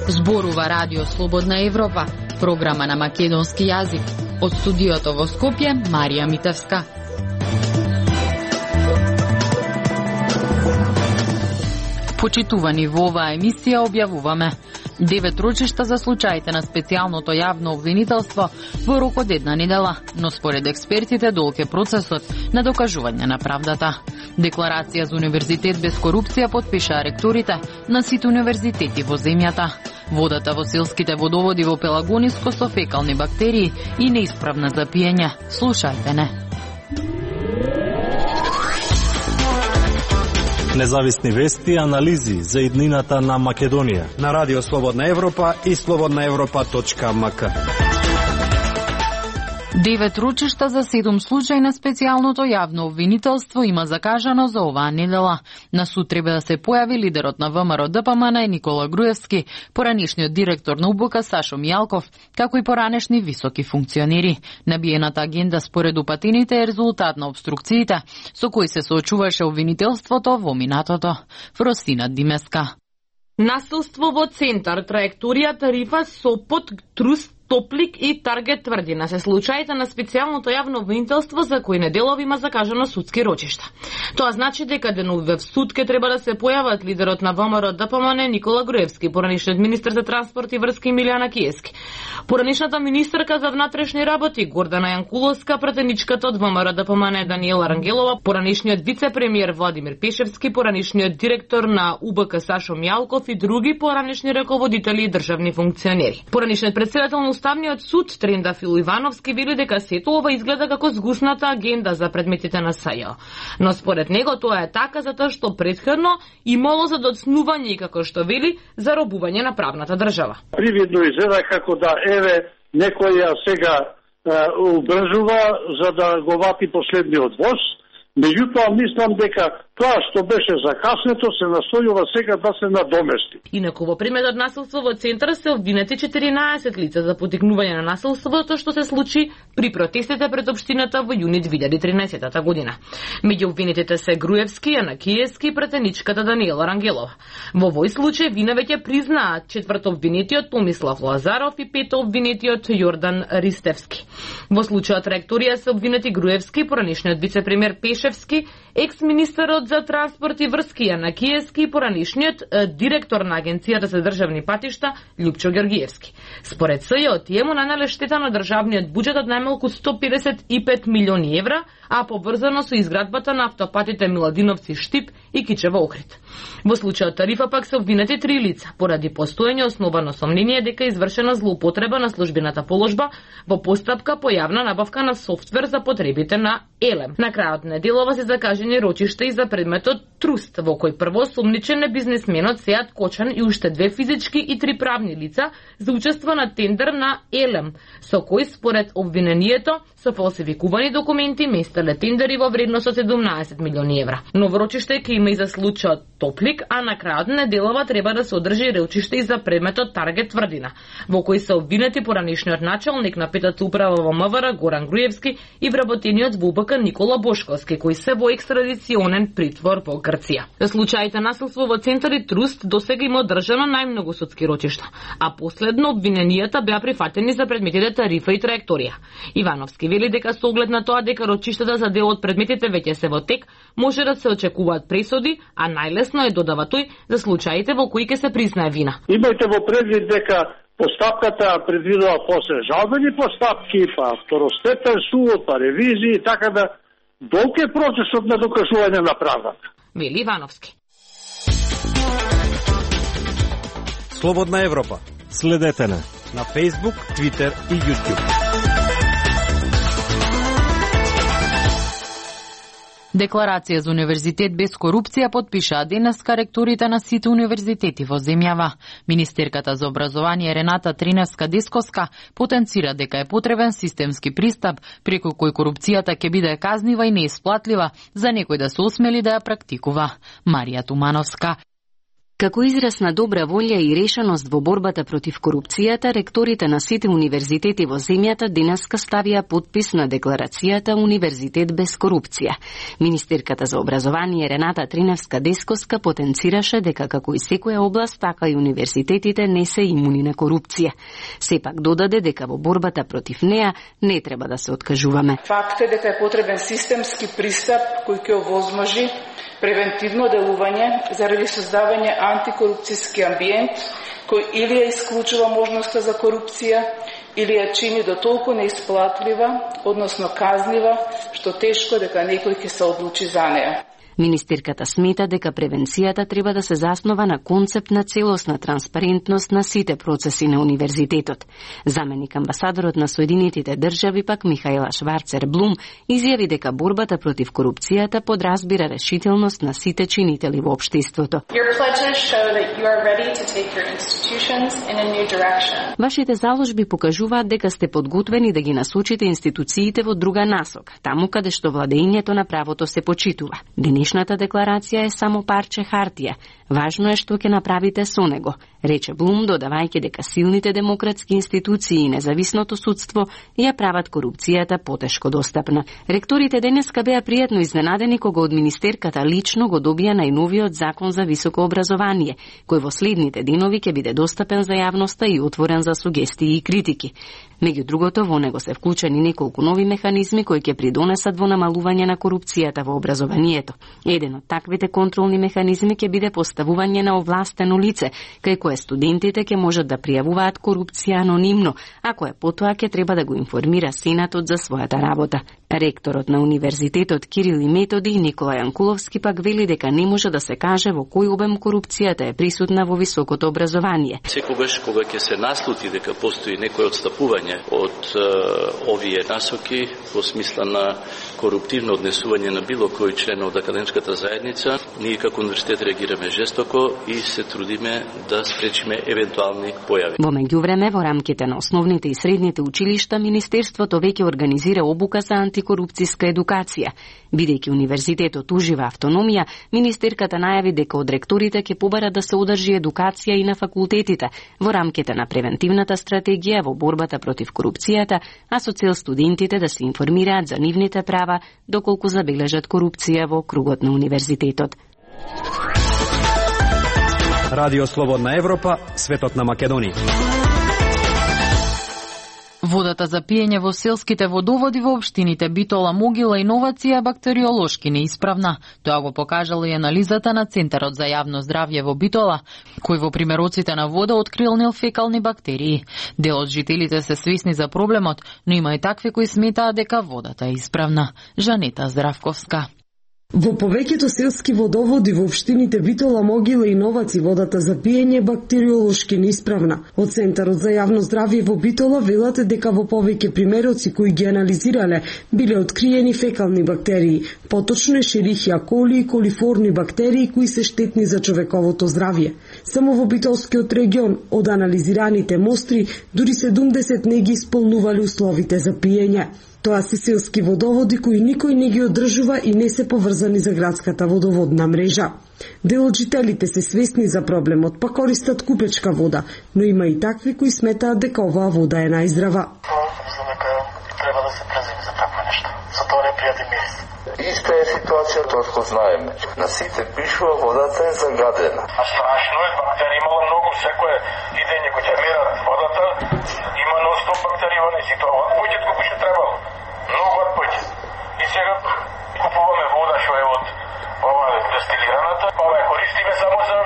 Зборува Радио Слободна Европа, програма на македонски јазик. Од студиото во Скопје, Марија Митевска. Почитувани, во оваа емисија објавуваме 9 рочишта за случаите на специјалното јавно обвинителство во рок од една недела, но според експертите долг е процесот на докажување на правдата. Декларација за универзитет без корупција подпишаа ректорите на сите универзитети во земјата. Водата во селските водоводи во Пелагониско со фекални бактерии и неисправна за пиење. Слушајте не. Независни вести и анализи за иднината на Македонија на Радио Слободна Европа и slobodnaevropa.mk. 9 рочишта за 7 случаи на специјалното јавно обвинителство има закажано за оваа недела. На суд треба да се појави лидерот на ВМРО ДПМН Никола Груевски, поранешниот директор на УБК Сашо Мијалков, како и поранешни високи функционери. Набиената агенда според упатените е резултат на обструкциите со кои се соочуваше обвинителството во минатото. Фросина Димеска. Насилство во центар, траекторија, тарифа, Сопот, Труст, Топлик и Таргет Тврдина се случаите на специјалното јавно обвинителство за кои неделови има закажано судски рочишта. Тоа значи дека деновиве в суд ке треба да се појават лидерот на ВМРО ДПМН Никола Груевски, поранешниот министер за транспорт и врски Милјана Киески, поранешната министерка за внатрешни работи Гордана Јанкуловска, пратеничката од ВМРО ДПМН Даниела Рангелова, поранешниот вице-премиер Владимир Пешевски, поранешниот директор на УБК Сашо Мијалков и други поранешни раководители и државни функционери. Поранешниот претседател на Уставниот суд Трендафил Ивановски вели дека сето ова изгледа како згусната агенда за предметите на СЈО. Но според него тоа е така затоа што претходно имало за доцнување и како што вели заробување на правната држава. Привидно изгледа како да еве некој ја сега убрзува за да го вати последниот воз. Меѓутоа мислам дека тоа што беше закаснето се настојува сега да се надомести. Инаку во предметот насилство во центар се обвинети 14 лица за потикнување на насилството што се случи при протестите пред општината во јуни 2013 година. Меѓу обвинетите се Груевски, Јанакиевски и претеничката Даниела Рангелова. Во овој случај вина веќе признаат четврто обвинетиот Томислав Лазаров и пето обвинетиот Јордан Ристевски. Во случајот ректорија се обвинети Груевски, поранешниот вице-премиер Пешевски, екс-министерот за транспорт и врски Јанакиевски и поранешниот директор на Агенцијата за државни патишта Љупчо Ѓоргиевски. Според СЈО, тие му нанеле штета на државниот буџет од најмалку 155 милиони евра, а поврзано со изградбата на автопатите Миладиновци Штип и Кичево Охрид. Во случајот тарифа пак се обвинети 3 лица, поради постоење основано сомнение дека извршена злоупотреба на службената положба во постапка по јавна набавка на софтвер за потребите на ЕЛЕМ. На крајот неделова се закажени рочишта и за предметот Труст, во кој прво сомничен е бизнесменот Сеат Кочан и уште 2 физички и 3 правни лица за учество на тендер на ЕЛЕМ, со кој според обвинението со фалсификувани документи местеле тендери во вредност од 17 милиони евра. Ново рочиште ќе има и за случајот Топлик, а на крајот неделова треба да се одржи рочиште и за предметот Таргет Тврдина, во кој се обвинети поранешниот началник на петата управа во МВР Горан Груевски и вработениот во УБК Никола Бошковски, кои се во екстрадиционен притвор во Грција. За случаите насилство во центар и Труст досега има одржано најмногу судски рочишта, а последно обвиненијата беа прифатени за предметите тарифа и траекторија. Ивановски вели дека со оглед на тоа дека рочиштата за дел од предметите веќе се во тек, може да се очекуваат пресуди, а најлесно е, додава тој, за случаите во кои ќе се признае вина. Имајте во предвид дека постапката предвидува после жалбени постапки, па второстепен суд, па ревизии и така да долг е процесот на докажување на правдата. Вели Ивановски. Слободна Европа. Следете на Facebook, Twitter и YouTube. Декларација за универзитет без корупција подпишаа денеска ректорите на сите универзитети во земјава. Министерката за образование Рената Триневска-Десковска потенцира дека е потребен системски пристап преку кој корупцијата ќе биде казнива и неисплатлива за некој да се осмели да ја практикува. Марија Тумановска. Како израз на добра волја и решеност во борбата против корупцијата, ректорите на сите универзитети во земјата денеска ставија подпис на декларацијата Универзитет без корупција. Министерката за образование Рената Триневска-Десковска потенцираше дека како и секоја област, така и универзитетите не се имуни на корупција. Сепак додаде дека во борбата против неа не треба да се откажуваме. Факт е дека е потребен системски пристап кој ќе овозможи превентивно делување заради создавање антикорупцијски амбиент кој или ја исклучува можноста за корупција, или ја чини до толку неисплатлива, односно казнива, што тешко дека некој ќе се одлучи за неа. Министерката смета дека превенцијата треба да се заснова на концепт на целосна транспарентност на сите процеси на универзитетот. Заменик амбасадорот на Соединетите држави пак Михаела Шварцер Блум изјави дека борбата против корупцијата подразбира решителност на сите чинители во општеството. Вашите заложби покажуваат дека сте подготвени да ги насочите институциите во друга насока, таму каде што владењето на правото се почитува. Денешната декларација е само парче хартија. Важно е што ќе направите со него, рече Блум, додавајќи дека силните демократски институции и независното судство ја прават корупцијата потешко достапна. Ректорите денеска беа пријатно изненадени кога од министерката лично го добија најновиот закон за високо образование, кој во следните денови ќе биде достапен за јавноста и отворен за сугестии и критики. Меѓу другото, во него се вклучени неколку нови механизми кои ќе придонесат во намалување на корупцијата во образованието. Еден од таквите контролни механизми ќе биде поставување на овластено лице, кај кое студентите ќе можат да пријавуваат корупција анонимно, а кое потоа ќе треба да го информира Сенатот за својата работа. Ректорот на Универзитетот Кирил и Методи Никола Јанкуловски пак вели дека не може да се каже во кој обем корупцијата е присутна во високото образование. Секогаш кога ќе се наслути дека постои некој отстапување од овие насоки во смисла на коруптивно однесување на било кој член од академската заедница, ние како универзитет реагираме жестоко и се трудиме да спречиме евентуални појави. Во меѓувреме, во рамките на основните и средните училишта, Министерството веќе организира обука за антикорупцијска едукација. Бидејќи универзитетот ужива автономија, министерката најави дека од ректорите ќе побара да се одржи едукација и на факултетите во рамките на превентивната стратегија во борбата против корупцијата, а со цел студентите да се информираат за нивните права доколку забележат корупција во кругот на универзитетот. Радио Слободна Европа, светот на Македонија. Водата за пиење во селските водоводи во општините Битола, Могила и Новација бактериолошки неисправна. Тоа го покажала и анализата на Центарот за јавно здравје во Битола, кој во примероците на вода открил неофекални бактерии. Дел од жителите се свесни за проблемот, но има и такви кои сметаат дека водата е исправна. Жанета Здравковска. Во повеќето селски водоводи во општините Битола, Могила и Новаци водата за пиење бактериолошки неисправна. Од Центарот за јавно здравје во Битола велат дека во повеќе примероци кои ги анализирале биле откриени фекални бактерии, поточно Ешерихија коли и колиформни бактерии кои се штетни за човековото здравје. Само во Битолскиот регион од анализираните мостри дури 70 не ги исполнувале условите за пиење. Тоа се селски водоводи кои никој не ги одржува и не се поврзани за градската водоводна мрежа. Дел од жителите се свесни за проблемот, па користат купечка вода, но има и такви кои сметаат дека оваа вода е најздрава. Мислам дека треба да се преземи за такво нешто. За тоа непријатен мирис. Иста е ситуацијата откако знаеме. На сите пишува водата е загадена. А страшно е, бактерии имало многу, секое идење кој ќе мерат водата, има ностоп бактерии во нејзи, тоа одпојдет колку ќе требало. Многу одпојдет. И сега купуваме вода што е од ова дестилираната, ова ја користиме само за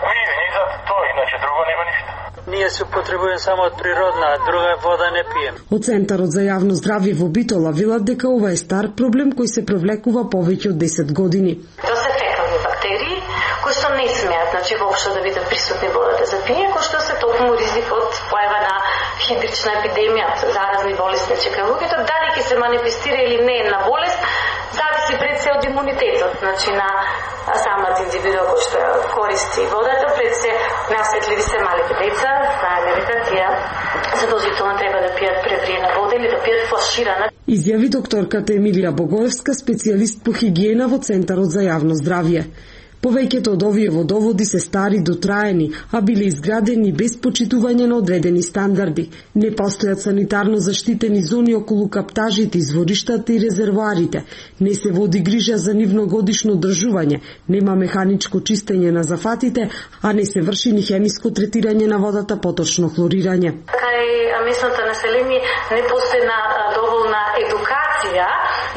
пиење и за тоа, иначе друго нема ништо. Ние се употребуваме само од природна, а друга вода не пиеме. Од Центарот за јавно здравје во Битола велат дека ова е стар проблем кој се провлекува повеќе од 10 години. Тоа се фекални бактерии кои што не смеат, значи воопшто да бидат присутни водата за пиење, кои што се токму ризик од појава на хидрична епидемија, заразни болести, чека луѓето, дали ќе се манифестира или не една болест, зависи пред се од имунитетот, значи на самата индивидуа кој што користи водата, пред се наосетливи се малите деца, знаеме дека тие задолжително треба да пијат превриена вода или да пијат флаширана. Изјави докторката Емилија Богоевска, специјалист по хигиена во Центарот за јавно здравје. Повеќето од овие водоводи се стари дотраени, а биле изградени без почитување на одредени стандарди. Не постојат санитарно заштитени зони околу каптажите, извориштата и резервоарите. Не се води грижа за нивно годишно одржување, нема механичко чистење на зафатите, а не се врши ни хемиско третирање на водата, поточно хлорирање. Кај местното население не постои доволна едукација,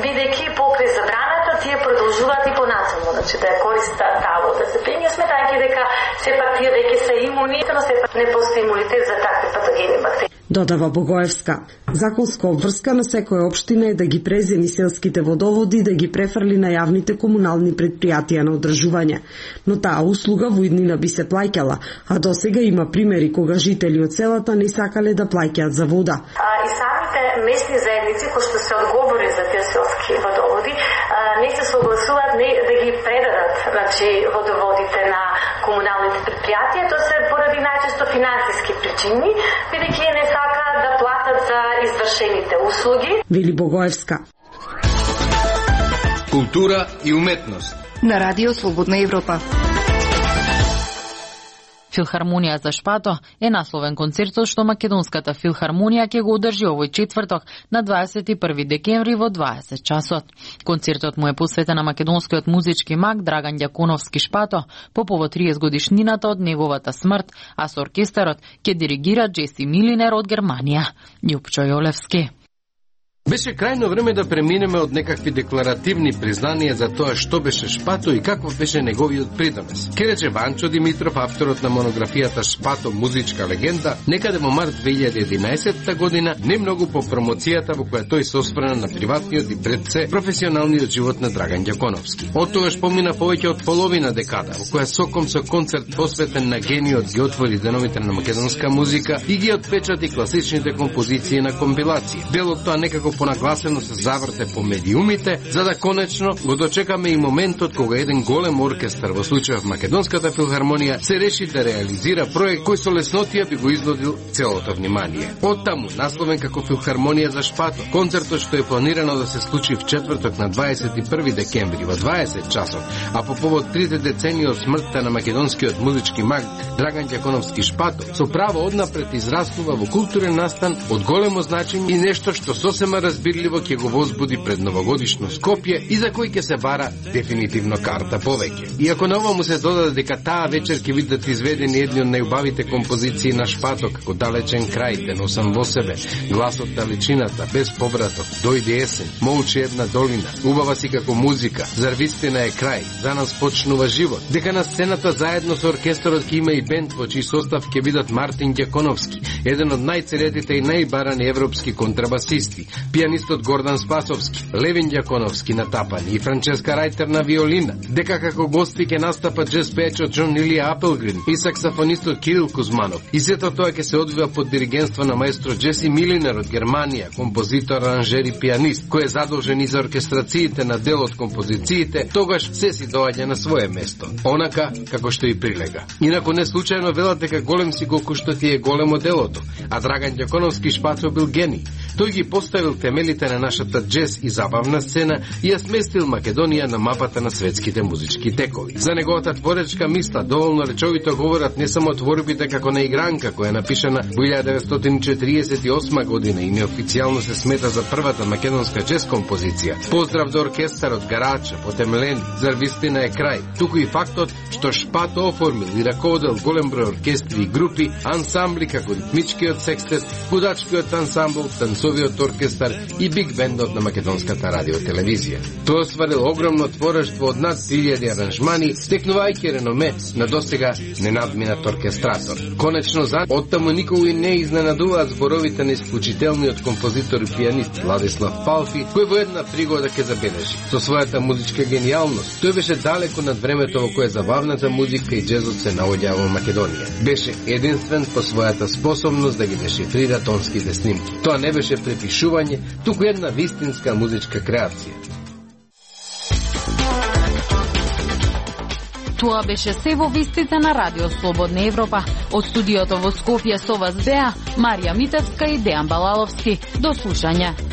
бидејќи покрај забраната тие продолжуваат и понатаму, значи да ја користат таа вода за пиење, сметајќи дека сепак тие веќе се имуни, но сепак не постои имунитет за такви патогени бактерии. Додава Богоевска. Законска обврска на секоја општина е да ги преземи селските водоводи и да ги префрли на јавните комунални предпријатија на одржување. Но таа услуга во иднина би се плаќала, а досега има примери кога жители од селата не сакале да плаќаат за вода. И самите местни заедници кои што се одговори за тие селски водоводи не се согласуваат да ги предадат, значи, водоводите на комуналните предпријатија, тоа се поради најчесто финансиски причини, бидејќи не сакаат да платат за извршените услуги. Вели Богоевска. Култура и уметност на Радио Слободна Европа. Филхармонија за Шпато е насловен концертот што Македонската филхармонија ќе го одржи овој четврток на 21 декември во 20 часот. Концертот му е посветен на македонскиот музички маг Драган Ѓаконовски Шпато по повод 30 годишнината од неговата смрт, а со оркестарот ќе диригира Джеси Милинер од Германија. Јупчо Јолевски. Беше крајно време да преминеме од некакви декларативни признанија за тоа што беше Шпато и каков беше неговиот придонес. Ке рече Ванчо Димитров, авторот на монографијата Шпато музичка легенда, некаде во март 2011 година, не многу по промоцијата во која тој се осврна на приватниот и пред се професионалниот живот на Драган Ѓаконовски. Од тогаш помина повеќе од половина декада, во која соком со концерт посветен на гениот ги отвори деновите на македонска музика и ги отпечати класичните композиции на компилација. Делот тоа некако понагласено се заврте по медиумите, за да конечно го дочекаме и моментот кога еден голем оркестар, во случајот Македонската филхармонија, се реши да реализира проект кој со леснотија би го изнудил целото внимание. Оттаму, насловен како Филхармонија за Шпато, концертот што е планирано да се случи в четврток на 21 декември во 20 часот, а по повод 30 децении од смртта на македонскиот музички маг Драган Ѓаконовски Шпато, со право однапред израснува во културен настан од големо значење и нешто што сосема разбирливо ќе го возбуди пред новогодишно Скопје и за кој ќе се бара дефинитивно карта повеќе. И ако на ова му се додаде дека таа вечер ќе бидат изведени едни од најубавите композиции на Шпато, како Далечен крај, Те носам во себе, Гласот далечината, Без повраток, Дојде есен, Молчи една долина, Убава си како музика, Зар вистина е крај, За нас почнува живот, дека на сцената заедно со оркестарот ќе има и бенд во чиј состав ќе бидат Мартин Ѓаконовски, еден од најцелетите и најбарани европски контрабасисти, пианистот Гордан Спасовски, Левин Ѓаконовски на тапани и Франческа Рајтер на виолина, дека како гости ќе настапат джез пеечот Џон Илија Апелгрин и саксофонистот Кирил Кузманов. И сето тоа ќе се одвива под диригентство на маестро Джеси Милинер од Германија, композитор, аранжер и пианист, кој е задолжен и за оркестрациите на дел од композициите, тогаш се си доаѓа на свое место, онака како што и прилега. Инаку не случајно велат дека голем си колку што ти е големо делото, а Драган Ѓаконовски Шпато бил гений. Тој ги поставил темелите на нашата джез и забавна сцена и ја сместил Македонија на мапата на светските музички текови. За неговата творечка мисла доволно речовито говорат не само творбите како на игранка, која е напишана во 1948 година и неофицијално се смета за првата македонска джез композиција. Поздрав до оркестарот, Гарача, Потемлени, Зар вистина е крај. Туку и фактот што Шпато оформил и раководел голем број оркестри и групи, ансамбли како ритмичкиот секстет, гудачкиот ансамбл, танцовиот оркестар и биг бендот на македонската радиотелевизија. Тој остварил огромно творештво од над 3000 аранжмани, стекнувајќи реноме на досега ненадминат оркестратор. Конечно, оттаму никогу и не изненадуваат зборовите на исклучителниот композитор и пианист Владислав Палфи, кој во една пригода ќе забележи. Со својата музичка гениалност, тој беше далеко над времето во кое забавната музика и джезот се наоѓаа во Македонија. Беше единствен по својата способност да ги дешифрира тонските снимки. Тоа не беше препишување, туку една вистинска музичка креација. Тоа беше се во вистите на Радио Слободна Европа. Од студиото во Скопје со вас беа Марија Митевска и Дејан Балаловски. До слушање.